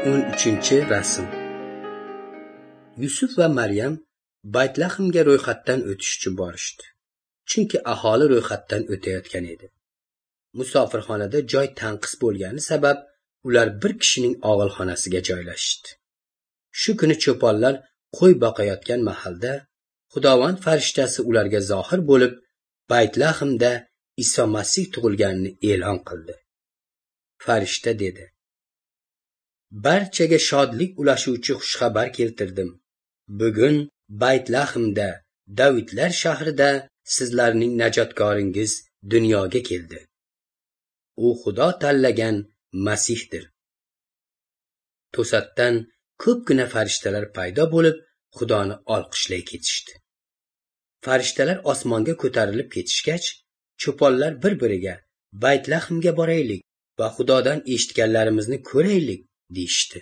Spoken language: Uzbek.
13-rasm. Yusuf va Maryam Baytlahmga ro'yxatdan o'tish uchun borishdi. Chunki aholi ro'yxatdan o'tayotgan edi. Musofirxonada joy tanqis bo'lgani sabab ular bir kishining og'ilxonasiga joylashdi. Shu kuni cho'ponlar qo'y boqayotgan mahalda Xudovand farishtasi ularga zohir bo'lib, Baytlahmda Iso Masih tug'ilganini e'lon qildi. Farishta dedi: "Barchaga shodlik ulashuvchi xushxabar keltirdim. Bugun Baytlahmda, Davidlar shahrida sizlarning najotkoringiz dunyoga keldi. U Xudo tanlagan Masihdir." To'satdan ko'pgina farishtalar paydo bo'lib, Xudoni olqishlay ketishdi. Farishtalar osmonga ko'tarilib ketishgach, cho'ponlar bir-biriga Baytlahmga boraylik va Xudodan eshitganlarimizni ko'raylik deyishdi.